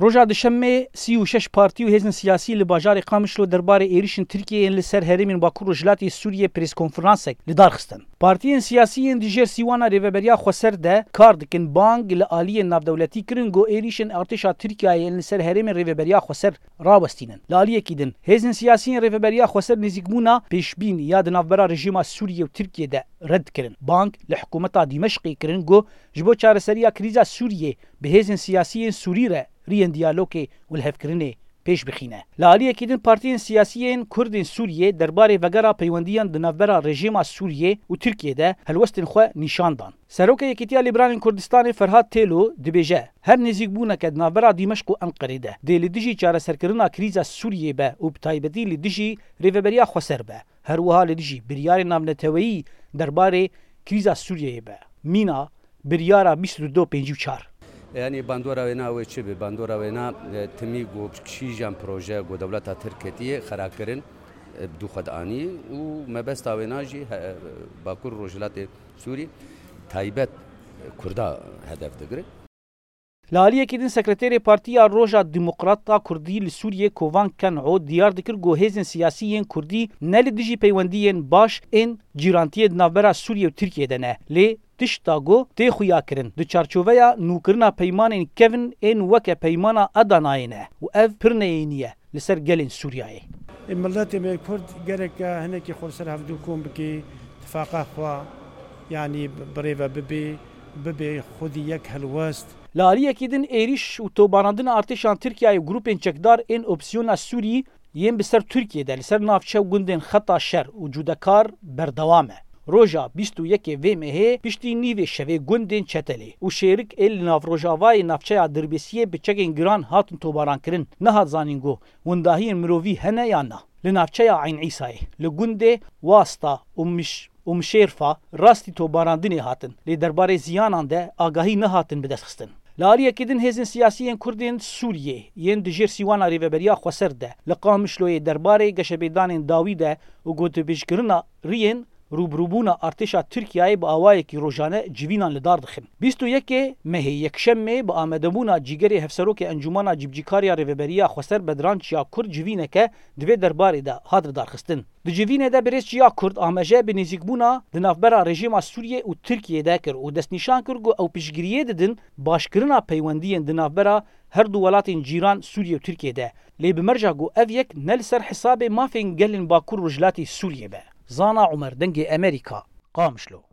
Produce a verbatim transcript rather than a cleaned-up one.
Roja Duşemê sî û şeş partî û hêzên siyasî li bajarê Qamişlo derbarê êrîşên Tirkiyeyê yên li ser herêmên Bakur Rojhilatê Sûriyê preskonferansek li dar xistin. Partiyên siyasî yên di jêr sîwana Rêveberiya Xweser de kar dikin bang li aliyên navdewletî kirin ku êrîşên artêşa Tirkiyeyê yên li ser herêmên Rêveberiya Xweser rawestînin. Li aliyekî din, hêzên siyasî yên Rêveberiya Xweser nêzîkbûna pêşbîn ya di navbera rejîma Sûriyê û Tirkiyê de red kirin. Bang li hikûmeta Dîmeşqê kirin ku ji bo çareseriya krîza Sûriyê bi hêzên siyasî yên Sûrî re riyên diyalogê û lihevkirinê pêş bixîne. Li aliyekî din partiyên siyasî yên Kurd ên Sûriyê derbarê vegera peywendiyan di navbera rejîma Sûriyê û Tirkiyê de helwestên xwe nîşan dan. Serokê Yekîtiya Lîberanên Kurdistanê Ferhat Têlo dibêje, her nêzîkbûneke di navbera Dîmeşq û Enqerê de dê li dijî çareserkirina krîza Sûriyê be û bi taybetî li dijî Rêveberiya Xweser be, her wiha li dijî biryarên navneteweyî derbarê krîza Sûriyeyê be. Mîna biryara bîst û du pêncî û çar. Yanî bandora wêna wê çi be? Bandora wêna, e, timî ku kîjan proje ku dewleta Tirk ketiye xera kirin, e, bi dû xwe dianî û mebesta wêna jî he-, Bakur Rojhilatê Sûrî taybet Kurda hedef digire. Li aliyekî din Sekreterê Partiya Roja Demokrata Kurdî li Sûriyê Kovan Ken'o diyar dikir ku hêzên siyasî yên Kurdî ne li dijî peywendiyên baş ên cîrantiyê di navbera Sûriyê û Tirkiyê de ne, lê tişta ku tê xuyakirin di çarçoveya nûkirina peymanên kevin ên weke peymana Adanayê ne û ev pir neyênî ye li ser gelên Sûriyayê. Ê miletê me Kurd gereke hinekî xwe li ser hevdû kom bike, tifaqa xwe, yanî bi-, birêve bibe, bibe xwedî yek helwest. Li aliyekî din êrîş û tobarandina artêşan Tirkiyeyê û grûpên çekdar ên opsiyona Sûrî yên bi ser Tirkiyê de li ser navçe û gundên Xeta Şer û Cûdekar berdewam e. Roja bîst û yekê vê mehê piştî nîvê şevê gundên Çetelê û Şêrik ê li nav rojavayê navçeya Dirbêsiyê bi çekên giran hatin tobarankirin. Nehat zanîn ku windahiyên mirovî hene yan na. Li navçeya Eyn Îsayê, li gundê Wasta û Miş-, û Mişêrfa rastî tobarandinê hatin, lê derbarê ziyanan de agahî nehatin bidestxistin. Li aliyekî din hêzên siyasî yên Kurd ên Sûriyê yên di jêr sîwana Rêveberiya Xweser de li Qamişloyê derbarê geşepêdanên dawî de û gotûbêjkirina riyên rûbirûbûna artêşa Tirkiyeyê bi awayekî rojane civînan li dar dixin. Bîst û yekê mehê yekşemê bi amadebûna cîgerê hevserokê Encûmana Cîbicîkariya Rêveberiya Xweser Bedran Çiyakur civîneke di vê derbarê de hat lidarxistin. Di civînê de birêz Çiyakur amaje bi nêzîkbûna di navbera rejîma Sûriyê û Tirkiyê de kir û destnîşan kir ku ew piştgiriyê didin başkirina peywendiyên di navbera her du welatên cîran Sûriyê û Tirkiyê de. Lê bi merca ku ev yek ne li ser hesabê mafên gelên Bakur Rojhilatê Sûriyê be. Zana Umer, Dengê Emerîka, Qamişlo.